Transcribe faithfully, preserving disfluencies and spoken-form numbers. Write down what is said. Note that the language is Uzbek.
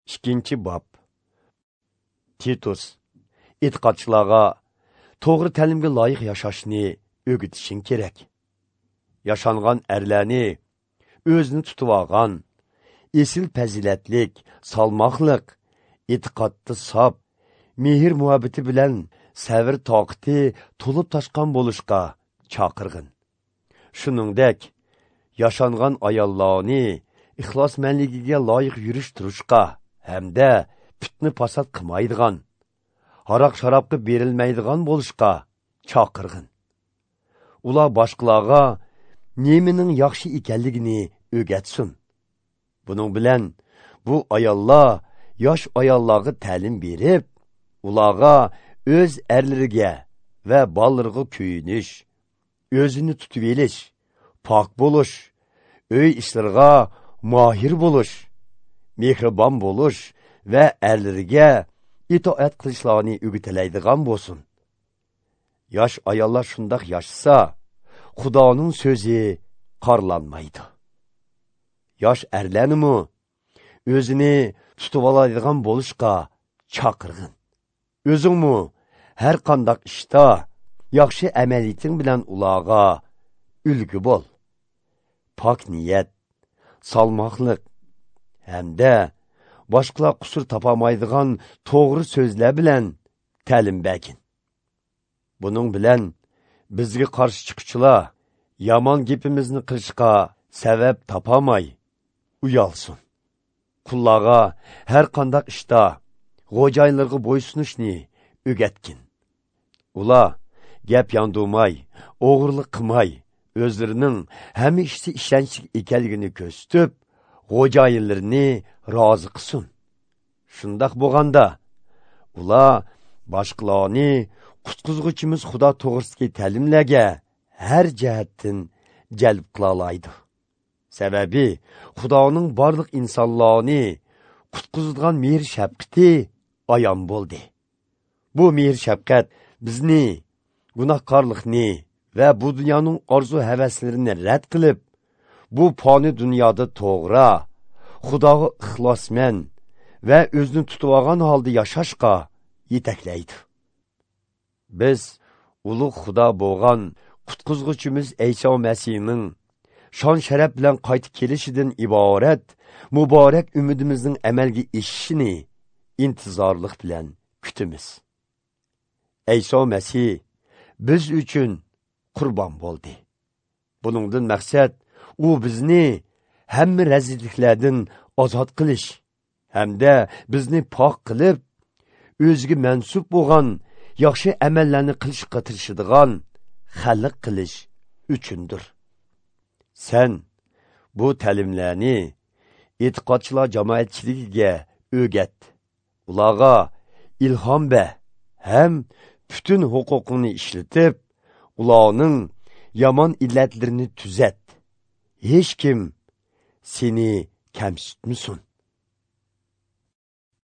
Ikkinchi bob. Titus, e'tiqodchilarga to'g'ri ta'limga loyiq yashashni o'rgatishing kerak. Yashangan erlarni o'zini tutib olgan, esil fazilatlik, salmoqliq, e'tiqodda sof, mehr muhabbati bilan sabr toqati to'lib toshgan bo'lishga chaqirg'in. Shuningdek, yashangan ayollarni ixlosmanligiga loyiq yurish turishga hamda fitna fasod qilmaydigan, haroq sharobga berilmaydigan bo'lishga chaqirg'in. Ular boshqalarga nemining yaxshi ekanligini o'rgatsin. Buning bilan bu ayollar yosh ayollarga ta'lim berib, ularga o'z erlariga va bolalariga kuyinish, o'zini tutib olish, pok bo'lish, uy ishlariga mohir bo'lish, mehribon bo'lish va erlariga itoat qilishlarini o'rgatilaydigan bo'lsin. Yosh ayollar shundoq yashasa, Xudoning so'zi qorlanmaydi. Yosh erlarnimi o'zini tutib oladigan bo'lishga chaqirg'in. O'zingmi har qanday ishda yaxshi amaliyating bilan ularga ulgu bo'l. Pok niyat, salmoqliq hamda boshqalar qusur topamaydigan to'g'ri so'zlar bilan ta'lim bergin. Buning bilan bizga qarshi chiquvchilar yomon gapimizni qilishga sabab topolmay uyalsin. Qullarga har qanday ishda xo'jayinlarga bo'ysunishni o'rgatgin. Ular gap yandurmay, o'g'irlik qilmay, o'zlarining hamma ishda ishonchli ekanligini ko'rsatib, xo'jayinlarini rozi qilsin. Shundoq bo'lganda ular boshqalarni qutqizg'uchimiz Xudo to'g'risidagi ta'limlarga har jihatdan jalb qila oladi. Sababi Xudoning barliq insonlarni qutqizadigan mehr shafqati ayon bo'ldi. Bu mehr shafqat bizni gunohkorlikni va bu dunyoning orzu havaslarini rad qilib, bu foni dunyoda to'g'ri, Xudoga ixlosman va o'zini tutib olgan holda yashashga yetaklaydi. Biz ulug' Xudo bo'lgan qutqizg'uchimiz Ayso Masihning shon sharaf bilan qaytib kelishidan iborat muborak umidimizning amalga oshishini intizorlik bilan kutamiz. Ayso Masih biz uchun qurbon bo'ldi. Buningdan maqsad u bizni hamma razilliklardan ozod qilish hamda bizni pok qilib, o'ziga mansub bo'lgan yaxshi amallarni qilishga tirishadigan xalq qilish uchundir. Sen bu ta'limlarni e'tiqodchilar jamoatchiligiga o'rgat. Ularga ilhom ber ham butun huquqingni ishlatib, ularning yomon illatlarini tuzat. Hech kim seni kamsitmasin.